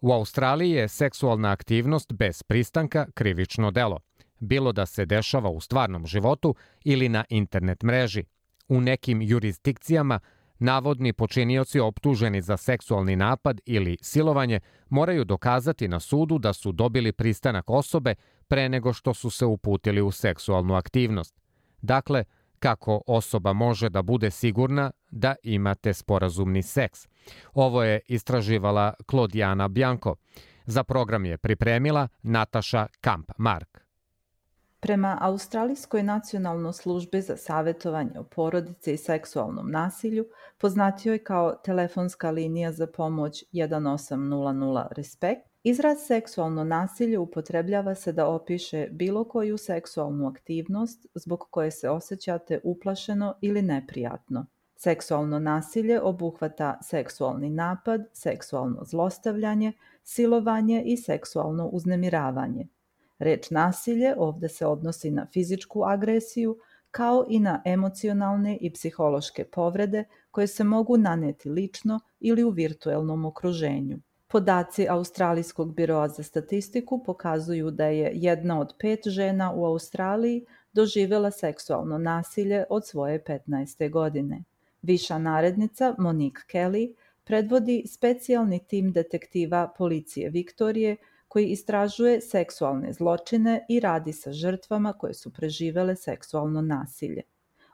U Australiji je seksualna aktivnost bez pristanka krivično delo, bilo da se dešava u stvarnom životu ili na internet mreži. U nekim jurisdikcijama navodni počinioci optuženi za seksualni napad ili silovanje moraju dokazati na sudu da su dobili pristanak osobe pre nego što su se uputili u seksualnu aktivnost. Dakle, kako osoba može da bude sigurna da imate sporazumni seks? Ovo je istraživala Claudiana Bianco. Za program je pripremila Nataša Kamp-Mark. Prema Australijskoj nacionalnoj službi za savjetovanje o porodici i seksualnom nasilju, poznatijoj kao telefonska linija za pomoć 1800 RESPECT, izraz seksualno nasilje upotrebljava se da opiše bilo koju seksualnu aktivnost zbog koje se osjećate uplašeno ili neprijatno. Seksualno nasilje obuhvata seksualni napad, seksualno zlostavljanje, silovanje i seksualno uznemiravanje. Reč nasilje ovde se odnosi na fizičku agresiju, kao i na emocionalne i psihološke povrede koje se mogu naneti lično ili u virtuelnom okruženju. Podaci Australijskog biroa za statistiku pokazuju da je 1 od 5 žena u Australiji doživjela seksualno nasilje od svoje 15. godine. Viša narednica Monique Kelly predvodi specijalni tim detektiva policije Viktorije koji istražuje seksualne zločine i radi sa žrtvama koje su preživele seksualno nasilje.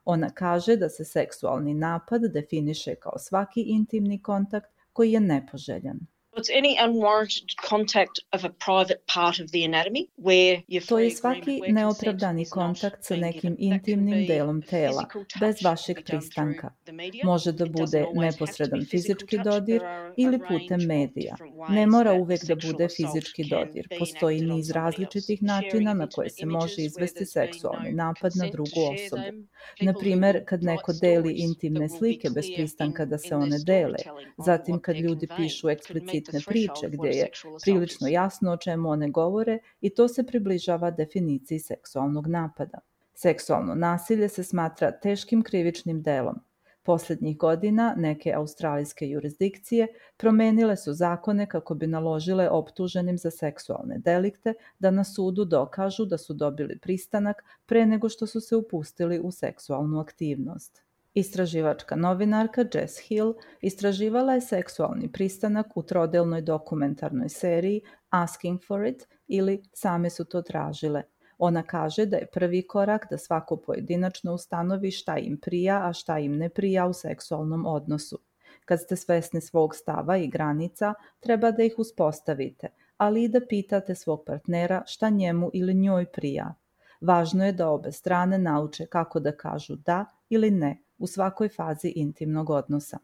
Ona kaže da se seksualni napad definiše kao svaki intimni kontakt koji je nepoželjan. To je svaki neopravdani kontakt sa nekim intimnim delom tela, bez vašeg pristanka. Može da bude neposredan fizički dodir ili putem medija. Ne mora uvek da bude fizički dodir. Postoji niz različitih načina na koje se može izvesti seksualni napad na drugu osobu. Na primer, kad neko deli intimne slike bez pristanka da se one dele, zatim kad ljudi pišu eksplicitne priče gdje je prilično jasno o čemu one govore i to se približava definiciji seksualnog napada. Seksualno nasilje se smatra teškim krivičnim delom. Posljednjih godina neke australijske jurisdikcije promenile su zakone kako bi naložile optuženim za seksualne delikte da na sudu dokažu da su dobili pristanak pre nego što su se upustili u seksualnu aktivnost. Istraživačka novinarka Jess Hill istraživala je seksualni pristanak u trodelnoj dokumentarnoj seriji Asking for it ili Same su to tražile. Ona kaže da je prvi korak da svako pojedinačno ustanovi šta im prija, a šta im ne prija u seksualnom odnosu. Kad ste svesni svog stava i granica, treba da ih uspostavite, ali i da pitate svog partnera šta njemu ili njoj prija. Važno je da obe strane nauče kako da kažu da ili ne u svakoj fazi intimnog odnosa.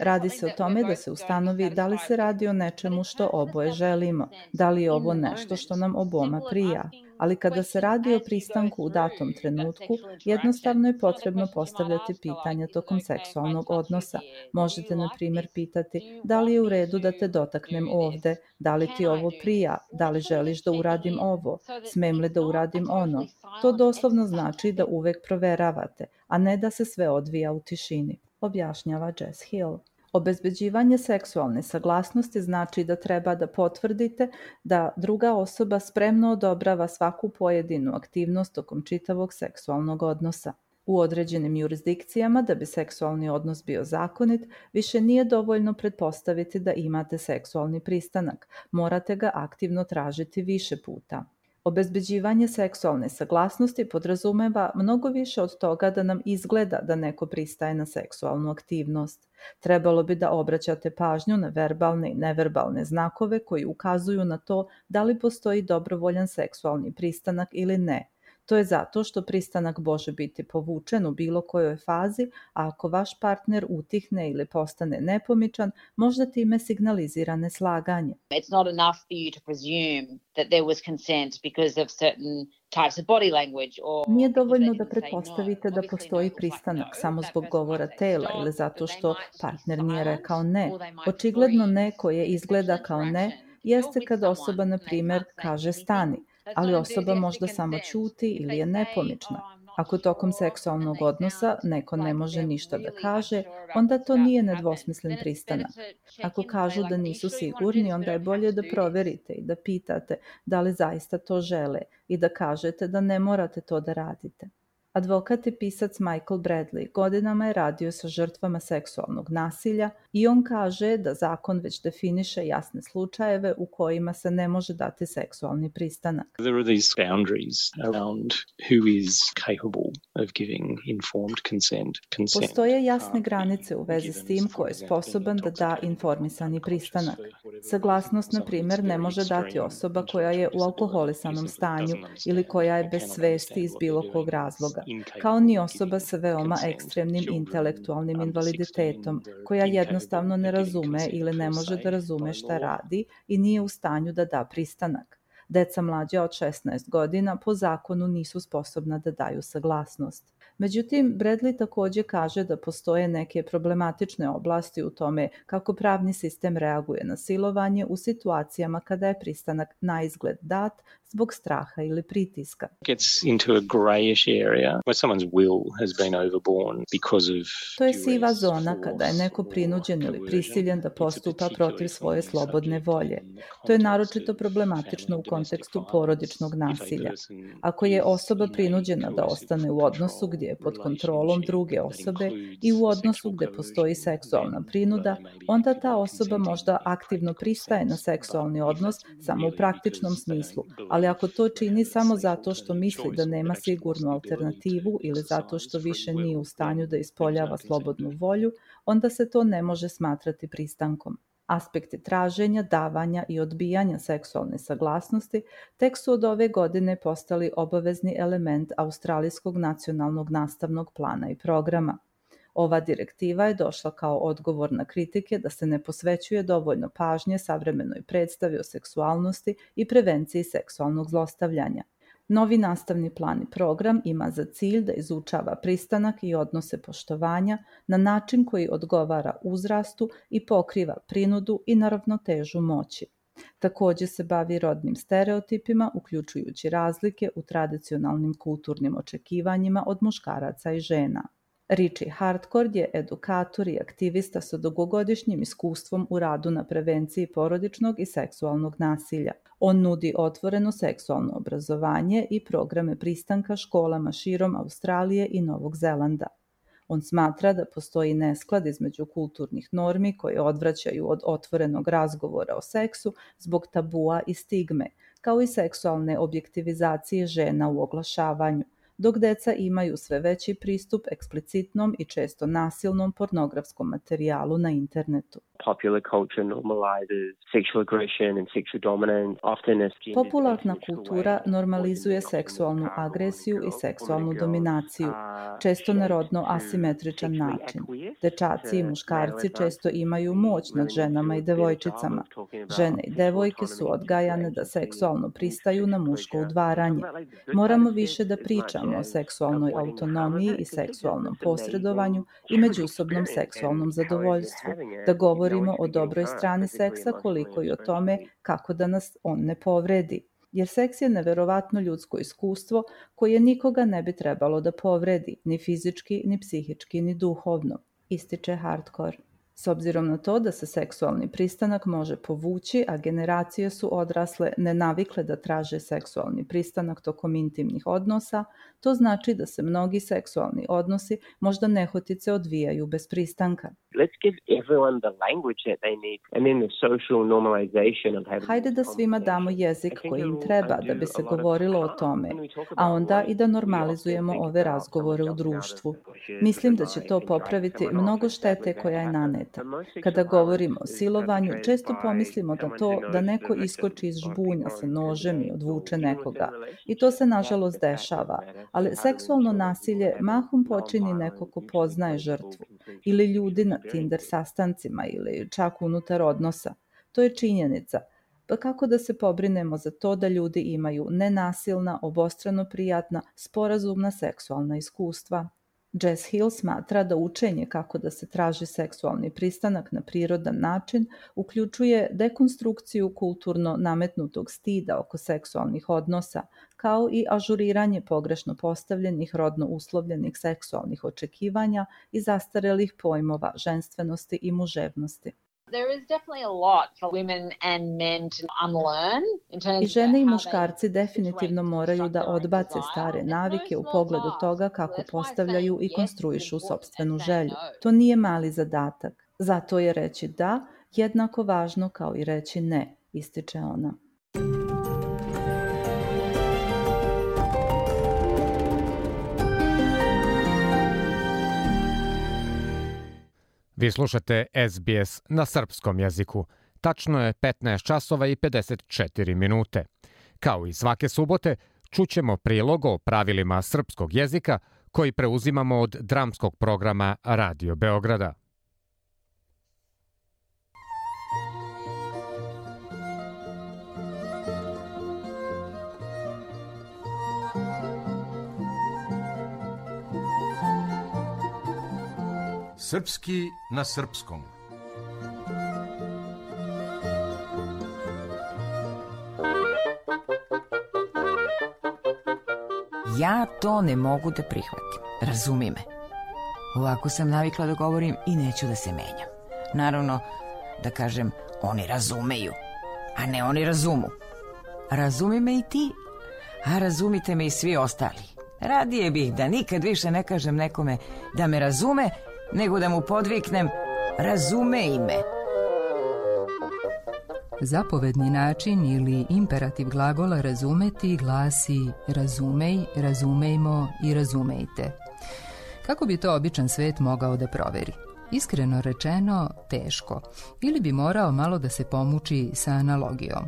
Radi se o tome da se ustanovi da li se radi o nečemu što oboje želimo, da li je ovo nešto što nam oboma prija. Ali kada se radi o pristanku u datom trenutku, jednostavno je potrebno postavljati pitanja tokom seksualnog odnosa. Možete, na primjer, pitati da li je u redu da te dotaknem ovde, da li ti ovo prija, da li želiš da uradim ovo, smem li da uradim ono. To doslovno znači da uvek proveravate, a ne da se sve odvija u tišini, objašnjava Jess Hill. Obezbeđivanje seksualne saglasnosti znači da treba da potvrdite da druga osoba spremno odobrava svaku pojedinu aktivnost tokom čitavog seksualnog odnosa. U određenim jurisdikcijama, da bi seksualni odnos bio zakonit, više nije dovoljno pretpostaviti da imate seksualni pristanak. Morate ga aktivno tražiti više puta. Obezbeđivanje seksualne saglasnosti podrazumeva mnogo više od toga da nam izgleda da neko pristaje na seksualnu aktivnost. Trebalo bi da obraćate pažnju na verbalne i neverbalne znakove koji ukazuju na to da li postoji dobrovoljan seksualni pristanak ili ne. To je zato što pristanak može biti povučen u bilo kojoj fazi, a ako vaš partner utihne ili postane nepomičan, možda time signalizira neslaganje. It's not enough for you to presume that there was consent because of certain types of body language or Nije dovoljno da pretpostavite da postoji pristanak samo zbog govora tela ili zato što partner nije rekao ne. Očigledno ne koje izgleda kao ne jeste kad osoba, na primjer, kaže stani, ali osoba možda samo ćuti ili je nepomična. Ako tokom seksualnog odnosa neko ne može ništa da kaže, onda to nije nedvosmislen pristanak. Ako kažu da nisu sigurni, onda je bolje da proverite i da pitate da li zaista to žele i da kažete da ne morate to da radite. Advokat i pisac Michael Bradley godinama je radio sa žrtvama seksualnog nasilja i on kaže da zakon već definiše jasne slučajeve u kojima se ne može dati seksualni pristanak. There are these boundaries around who is capable of giving informed consent. Postoje jasne granice u vezi s tim ko je sposoban da da informisani pristanak. Saglasnost, na primjer, ne može dati osoba koja je u alkoholisanom stanju ili koja je bez svesti iz bilo kog razloga, kao ni osoba sa veoma ekstremnim intelektualnim invaliditetom, koja jednostavno ne razume ili ne može da razume šta radi i nije u stanju da da pristanak. Deca mlađa od 16 godina po zakonu nisu sposobna da daju saglasnost. Međutim, Bradley takođe kaže da postoje neke problematične oblasti u tome kako pravni sistem reaguje na silovanje u situacijama kada je pristanak na izgled dat zbog straha ili pritiska. To je siva zona kada je neko prinuđen ili prisiljen da postupa protiv svoje slobodne volje. To je naročito problematično u kontekstu porodičnog nasilja. Ako je osoba prinuđena da ostane u odnosu gdje je pod kontrolom druge osobe i u odnosu gde postoji seksualna prinuda, onda ta osoba možda aktivno pristaje na seksualni odnos samo u praktičnom smislu, ali ako to čini samo zato što misli da nema sigurnu alternativu ili zato što više nije u stanju da ispoljava slobodnu volju, onda se to ne može smatrati pristankom. Aspekti traženja, davanja i odbijanja seksualne saglasnosti tek su od ove godine postali obavezni element Australijskog nacionalnog nastavnog plana i programa. Ova direktiva je došla kao odgovor na kritike da se ne posvećuje dovoljno pažnje savremenoj predstavi o seksualnosti i prevenciji seksualnog zlostavljanja. Novi nastavni plan i program ima za cilj da izučava pristanak i odnose poštovanja na način koji odgovara uzrastu i pokriva prinudu i neravnotežu moći. Takođe se bavi rodnim stereotipima, uključujući razlike u tradicionalnim kulturnim očekivanjima od muškaraca i žena. Richie Hardcourt je edukator i aktivista sa dugogodišnjim iskustvom u radu na prevenciji porodičnog i seksualnog nasilja. On nudi otvoreno seksualno obrazovanje i programe pristanka školama širom Australije i Novog Zelanda. On smatra da postoji nesklad između kulturnih normi koje odvraćaju od otvorenog razgovora o seksu zbog tabua i stigme, kao i seksualne objektivizacije žena u oglašavanju, dok deca imaju sve veći pristup eksplicitnom i često nasilnom pornografskom materijalu na internetu. Popularna kultura normalizuje seksualnu agresiju i seksualnu dominaciju, često na rodno asimetričan način. Dečaci i muškarci često imaju moć nad ženama i devojčicama. Žene i devojke su odgajane da seksualno pristaju na muško udvaranje. Moramo više da pričamo o seksualnoj autonomiji i seksualnom posredovanju i međusobnom seksualnom zadovoljstvu, da govorimo o dobroj strani seksa koliko i o tome kako da nas on ne povredi. Jer seks je neverovatno ljudsko iskustvo koje nikoga ne bi trebalo da povredi, ni fizički, ni psihički, ni duhovno, ističe Hardcourt. S obzirom na to da se seksualni pristanak može povući, a generacije su odrasle nenavikle da traže seksualni pristanak tokom intimnih odnosa, to znači da se mnogi seksualni odnosi možda nehotice odvijaju bez pristanka. Hajde da svima damo jezik koji im treba da bi se govorilo o tome, a onda i da normalizujemo ove razgovore u društvu. Mislim da će to popraviti mnogo štete koja je naneta. Kada govorimo o silovanju, često pomislimo na to da neko iskoči iz žbunja sa nožem i odvuče nekoga. I to se nažalost dešava, ali seksualno nasilje mahom počini neko ko poznaje žrtvu ili ljudi na Tinder sastancima ili čak unutar odnosa. To je činjenica. Pa kako da se pobrinemo za to da ljudi imaju nenasilna, obostrano prijatna, sporazumna seksualna iskustva? Jess Hill smatra da učenje kako da se traži seksualni pristanak na prirodan način uključuje dekonstrukciju kulturno nametnutog stida oko seksualnih odnosa, kao i ažuriranje pogrešno postavljenih rodno uslovljenih seksualnih očekivanja i zastarelih pojmova ženstvenosti i muževnosti. I žene i muškarci definitivno moraju da odbace stare navike u pogledu toga kako postavljaju i konstruišu sopstvenu želju. To nije mali zadatak. Zato je reći da jednako važno kao i reći ne, ističe ona. Vi slušate SBS na srpskom jeziku. Tačno je 15 časova i 54 minute. Kao i svake subote, čućemo prilog o pravilima srpskog jezika koji preuzimamo od dramskog programa Radio Beograda. Srpski na srpskom. Ja to ne mogu da prihvatim. Razumi me. Ovako sam navikla da govorim i neću da se menjam. Naravno, da kažem, oni razumeju, a ne oni razumu. Razumi me i ti, a razumite me i svi ostali. Radije bih da nikad više ne kažem nekome da me razume, nego da mu podviknem razumej me. Zapovedni način ili imperativ glagola razumeti glasi razumej, razumejmo i razumejte. Kako bi to običan svet mogao da proveri? Iskreno rečeno, teško. Ili bi morao malo da se pomuči sa analogijom.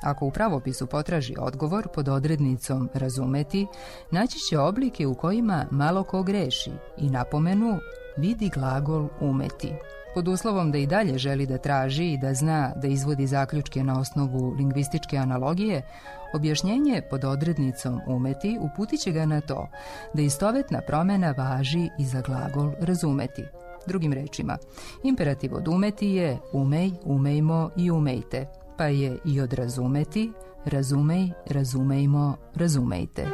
Ako u pravopisu potraži odgovor pod odrednicom razumeti, naći će oblike u kojima malo ko greši i napomenu vidi glagol umeti. Pod uslovom da i dalje želi da traži i da zna da izvodi zaključke na osnovu lingvističke analogije, objašnjenje pod odrednicom umeti uputit će ga na to da istovetna promena važi i za glagol razumeti. Drugim rečima, imperativ od umeti je umej, umejmo i umejte, pa je i od razumeti razumej, razumejmo, razumejte.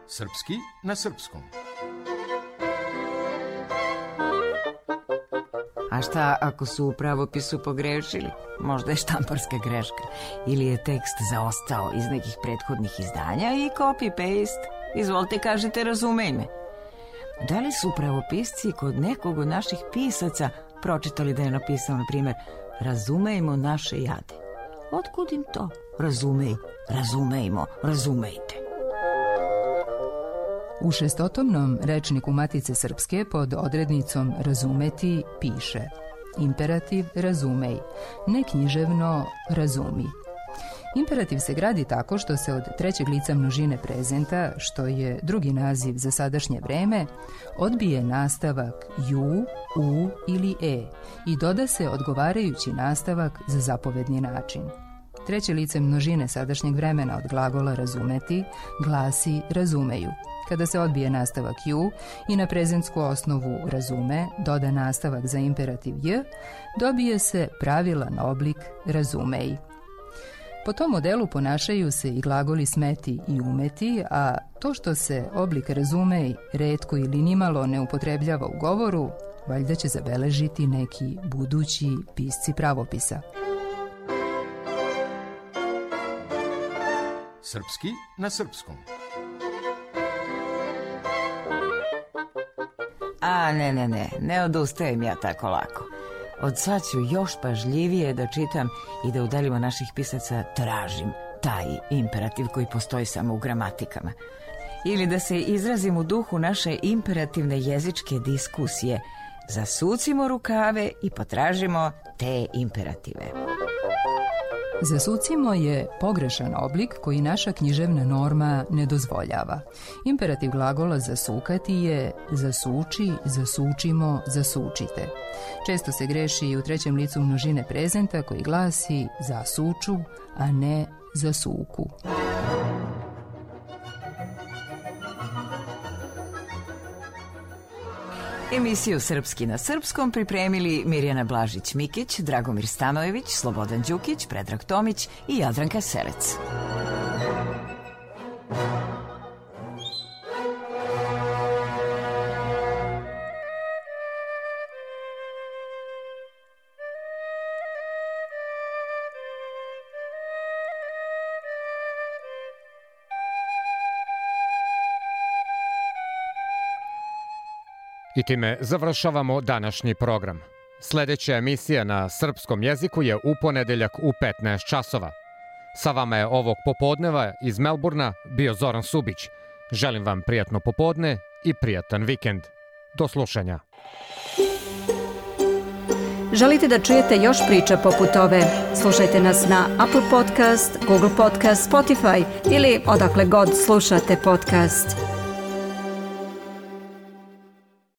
Srpski na srpskom. A šta ako su u pravopisu pogrešili? Možda je štamparska greška. Ili je tekst zaostao iz nekih prethodnih izdanja i copy-paste. Izvolite, kažete razumej me. Da li su pravopisci kod nekog od naših pisaca pročitali da je napisao, na primjer, razumejmo naše jade? Otkud im to? Razumej, razumejmo, razumejte. U šestotomnom rečniku Matice Srpske pod odrednicom razumeti piše imperativ razumej, neknjiževno razumi. Imperativ se gradi tako što se od trećeg lica množine prezenta, što je drugi naziv za sadašnje vreme, odbije nastavak ju, u ili e i doda se odgovarajući nastavak za zapovedni način. Treće lice množine sadašnjeg vremena od glagola razumeti glasi razumeju. Kada se odbije nastavak ju i na prezentsku osnovu razume doda nastavak za imperativ j, dobije se pravilan oblik razumej. Po tom modelu ponašaju se i glagoli smeti i umeti, a to što se oblik razumej retko ili nimalo ne upotrebljava u govoru, valjda će zabeležiti neki budući pisci pravopisa. Srpski na srpskom. A ne odustajem ja tako lako. Od sad ću još pažljivije da čitam i da u delima naših pisaca tražim taj imperativ koji postoji samo u gramatikama. Ili da se izrazim u duhu naše imperativne jezičke diskusije. Zasucimo rukave i potražimo te imperative. Zasucimo je pogrešan oblik koji naša književna norma ne dozvoljava. Imperativ glagola zasukati je zasuči, zasučimo, zasučite. Često se greši i u trećem licu množine prezenta koji glasi zasuču, a ne zasuku. Emisiju Srpski na srpskom pripremili Mirjana Blažić-Mikić, Dragomir Stanojević, Slobodan Đukić, Predrag Tomić i Jadranka Selec. I time završavamo današnji program. Sljedeća emisija na srpskom jeziku je u ponedeljak u 15 časova. Sa vama je ovog popodneva iz Melburna bio Zoran Subić. Želim vam prijatno popodne i prijatan vikend. Do slušanja. Želite da čujete još priča poput ove? Slušajte nas na Apple Podcast, Google Podcast, Spotify ili odakle god slušate podcast.